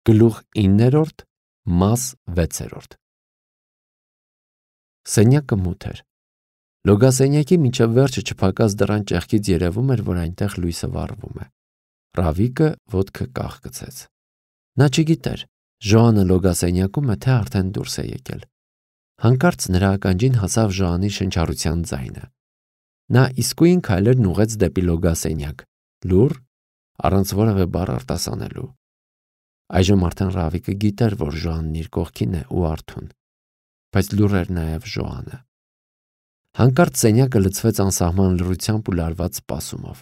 Գլուխ 9, մաս 6։ Սենյակը մութ էր։ Լոգասենյակի մինչև վերջը չփակած դռան ճեղքից երևում էր, որ այնտեղ լույսը վառվում է։ Ռավիկը ոտքը կախկցեց։ Նա չգիտեր, Ժոանը լոգասենյակում է, թե արդեն դուրս է եկել։ Հանկարծ նրա ականջին հասավ Ժոանի շնչառության ձայնը։ Նա իսկույն քայլերն ուղղեց դեպի լոգասենյակ, լուռ, առանց որևէ բառ արտասանելու։ Այժմ արդեն Ռավիկը գիտեր, որ Ժոանն իր կողքին է ու արթուն, բայց լուռ էր նաև Ժոանը։ Հանկարծ սենյակը լցվեց անսահման լռությամբ ու լարված սպասումով։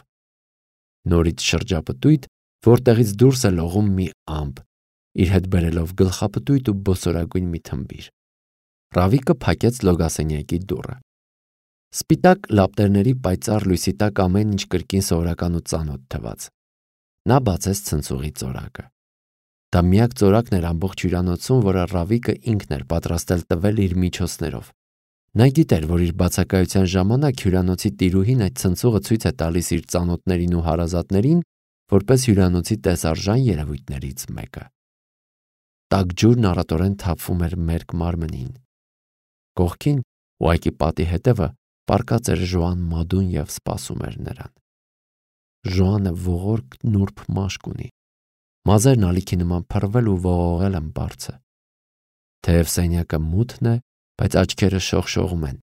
Նորից շրջապտույտ, որտեղից դուրս է լողում մի ամպ, իր հետ բերելով գլխապտույտ ու բոսորագույն մի թմբիր։ Ռավիկը փակեց լոգասենյակի դուռը։ Սպիտակ լապտերների պայծառ լույսի տակ ամեն ինչ կրկին սովորական ու ծանոթ թվաց։ Նա բացեց ցնցուղի ծորակը։ Դա միակ ծորակն էր ամբողջ հյուրանոցում, որը Ռավիկը ինքն էր պատրաստել տվել իր միջոցներով։ Նա գիտեր, որ իր բացակայության ժամանակ հյուրանոցի տիրուհին այդ ցնցուղը ցույց է տալիս իր ծանոթներին ու հարազատներին, որպես հյուրանոցի տեսարժան երևույթներից մեկը։ Տաք ջուրն առատորեն թափվում էր մերկ մարմնին։ Կողքին ուղղակի պատի հետևը պառկած էր Ժոան Մադուն և սպասում էր նրան։ Ժոանը ողորկ նուրբ մաշկ ունի։ Մազերն ալիքի նման փռվել ու ողողել են բարձը։ Թեև սենյակը մութն է, բայց աչքերը շողշողում են,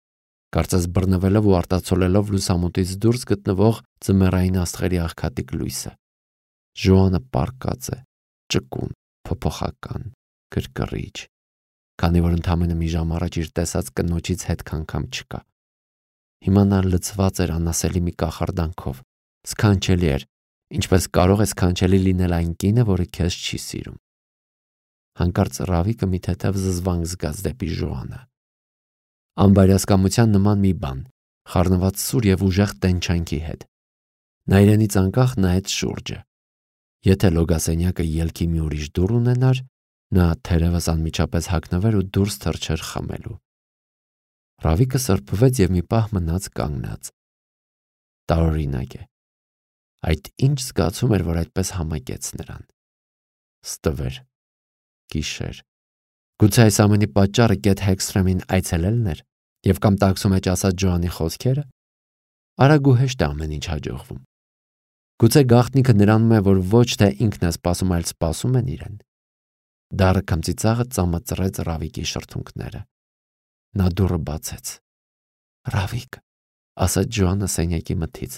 կարծես բռնվելով ու արտացոլելով լուսամուտից դուրս գտնվող ձմեռային աստղերի աղքատիկ լույսը։ Ժոանը պառկած է, ճկուն, փոփոխական, գրգռիչ, քանի որ ընդամենը մի ժամ առաջ իր տեսած կնոջից հետք անգամ չկա։ Հիմա նա լցված էր անասելի մի կախարդանքով, սքանչելի էր, ինչպես կարող է սքանչելի լինել այն կինը, որը քեզ չի սիրում։ Հանկարծ Ռավիկը մի թեթև զզվանք զգաց դեպի Ժոանը։ Անբարյացկամության նման մի բան, խառնված սուր և ուժեղ տենչանքի հետ։ Նա իրենից անկախ նայեց շուրջը։ Եթե լոգասենյակը ելքի մի ուրիշ դուռ ունենար, նա թերևս անմիջապես հագնվեր ու դուրս թռչեր խմելու։ Ռավիկը սրբվեց և մի պահ մնաց կանգնած։ Տարօրինակ է։ Այդ ինչ զգացում էր, որ այդպես համակեց նրան։ Ստվեր, գիշեր։ Գուցե այս ամենի պատճառը Կեթ Հեքսթրեմին այցելելն էր և կամ տաքսու մեջ ասած Ջոանի խոսքերը։ Արագ ու հեշտ է ամեն ինչ հաջողվում։ Գուցե գաղտնիքը նրանում է, որ ոչ թե ինքն է սպասում, այլ սպասում են իրեն։ Դառը քմծիծաղը ծամծռեց Ռավիկի շրթունքները։ Նա դուռը բացեց։ «Ռավիկ», ասաց Ջոանը սենյակի մթից,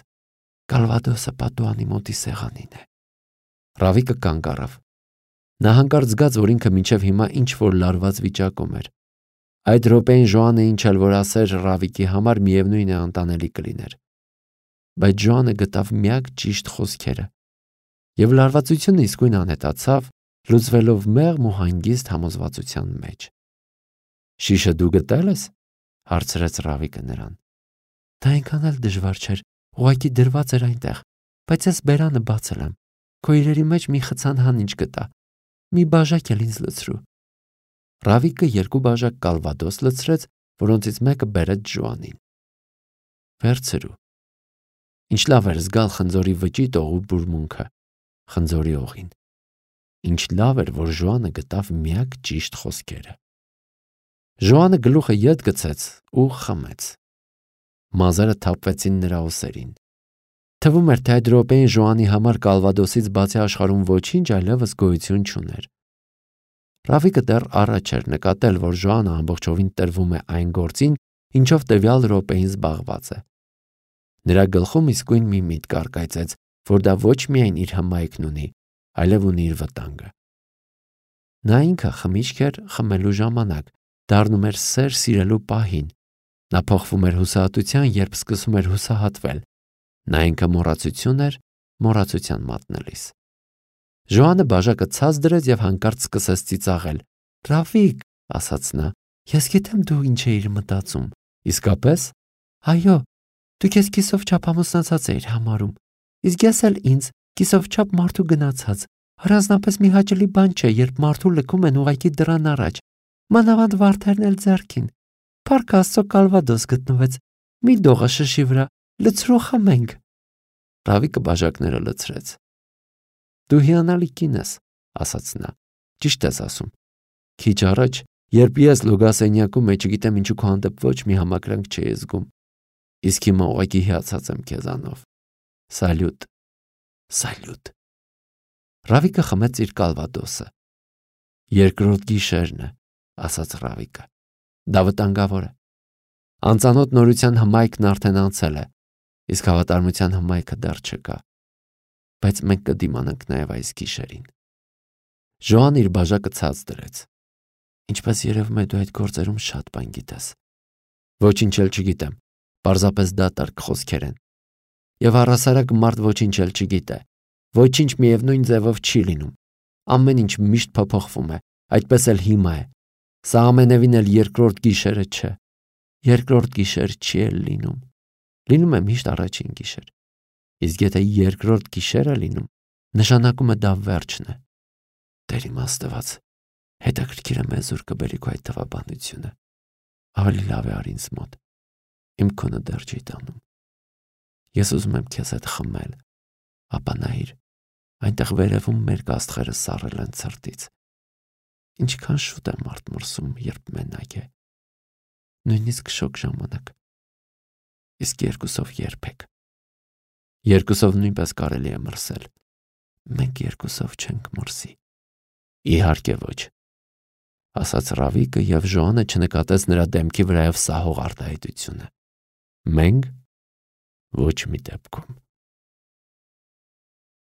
«Կալվադոսը պատուհանի մոտի սեղանին է»։ Ռավիկը կանգ առավ։ Նա հանկարծ զգաց, որ ինքը մինչև հիմա ինչ-որ լարված վիճակում էր։ Այդ րոպեին Ժոանը ինչ էլ որ ասեր Ռավիկի համար, միևնույն է անտանելի կլիներ։ Բայց Ժոանը գտավ միակ ճիշտ խոսքերը, և լարվածությունը իսկույն անհետացավ, լուծվելով մեղմ ու հանգիստ համոզվածության մեջ։ «Շիշը դու գտել ես»։ հարցրեց Ռավիկը նրան։ «Դա այնքան էլ դժվար չէր, ուղղակի դրված էր այնտեղ, բայց ես բերանը բացել եմ։ Քո իրերի մեջ մի խցան հանիչ գտա։ Մի բաժակ էլ ինձ լցրու»։ Ռավիկը 2 բաժակ կալվադոս լցրեց, որոնցից մեկը բերեց Ջոանին։ «Վերցրու»։ Ինչ լավ էր զգալ խնձորի վճիտող ու բուրմունքը, խնձորի օղին։ Ինչ լավ էր, որ Ժոանը գտավ միակ ճիշտ խոսքերը։ Ժոանը գլուխը ետ գցեց ու խմեց։ Մազերը թափվեցին նրա ուսերին։ Թվում էր, թե այդ րոպեին Ժոանի համար կալվադոսից բացի աշխարհում ոչինչ այլևս գոյություն չուներ։ Ռավիկը դեռ առաջ էր նկատել, որ Ժոանը ամբողջովին տրվում է այն գործին, ինչով տվյալ րոպեին զբաղված է։ Նրա գլխում իսկույն մի միտք առկայծեց, որ դա ոչ միայն իր հմայքն ունի, այլև ունի իր վտանգը։ Նա ինքը խմիչք էր խմելու ժամանակ, դառնում էր սեր սիրելու պահին։ Նա փոխվում էր հուսահատության, երբ սկսում էր հուսահատվել։ Նա ինքը մոռացություն էր մոռացության մատնելիս։ Ժոանը բաժակը ցած դրեց և հանկարծ սկսեց ծիծաղել։ «Ռավիկ», ասաց նա, «ես գիտեմ դու ինչ էիր մտածում»։ «Իսկապես»։ «Այո, դու քեզ կիսով չափ ամուսնացած էիր համարում, իսկ ես էլ ինձ կիսով չափ մարդու գնացած։ Առանձնապես մի հաճելի բան չէ, երբ մարդու լքում են ուղղակի դռան առաջ, մանավանդ վարդերն էլ ձեռքին։ Փառք Աստծո, կալվադոս գտնվեց։ Մի դողը շշի վրա, լցրու խմենք»։ Ռավիկը բաժակները լցրեց։ «Դու հիանալի կին ես», ասաց նա, Ճիշտ ես ասում։ Քիչ առաջ, երբ ես լոգասենյակում եմ, չգիտեմ ինչու քո հանդեպ ոչ մի համակրանք չէի զգում, իսկ հիմա ուղղակի հիացած եմ քեզանով։ Սալյուտ, սալյուտ։ Ռավիկը խմեց իր կալվադոսը։ Երկրորդ գիշերն է, ասաց Ռավիկը։ Դա վտանգավոր է։ Անծանոթ նորության հմայքն արդեն անցել է, իսկ հավատարմության հմայքը դեռ չկա։ Բայց մենք կդիմանանք նաև այս գիշերին։ Ժոան իր բաժակը ցած դրեց։ Ինչպես երևում է, դու այդ գործերում շատ բան գիտես։ Ոչինչ էլ չգիտեմ, պարզապես դատարկ խոսքեր են։ Եվ առհասարակ մարդ ոչինչ էլ չգիտե։ Ոչինչ միևնույն ձևով չի լինում։ Ամեն ինչ միշտ փոփոխվում է, այդպես էլ հիմա է։ Սա ամենևին էլ երկրորդ գիշերը չէ։ Երկրորդ գիշեր չի էլ լինում։ Լինում է միշտ առաջին գիշեր։ Իսկ եթե երկրորդ գիշերը լինում, նշանակում է դա վերջն է։ Տեր իմ Աստված, հետաքրքիր է մեզ ուր կբերի քո այդ թվաբանությունը։ Ավելի լավ է առ ինձ մոտ։ Իմ քոնը դեռ չի տանում։ Ես ուզում եմ քեզ հետ խմել, ապա նայիր, այնտեղ վերևում մեր կաստղերը սառել են ցրտից։ Ինչքան շուտ է մարդ մրսում, երբ մենակ է։ Նույնիսկ շոկ ժամանակ։ Իսկ երկուսով երբեք։ Երկուսով նույնպես կարելի է մրսել։ Մենք երկուսով չենք մրսի։ Իհարկե ոչ, ասաց Ռավիկը, եւ Ժոանը չնկատեց նրա դեմքի վրայով սահող արտահայտությունը։ Մենք ոչ մի դեպքում։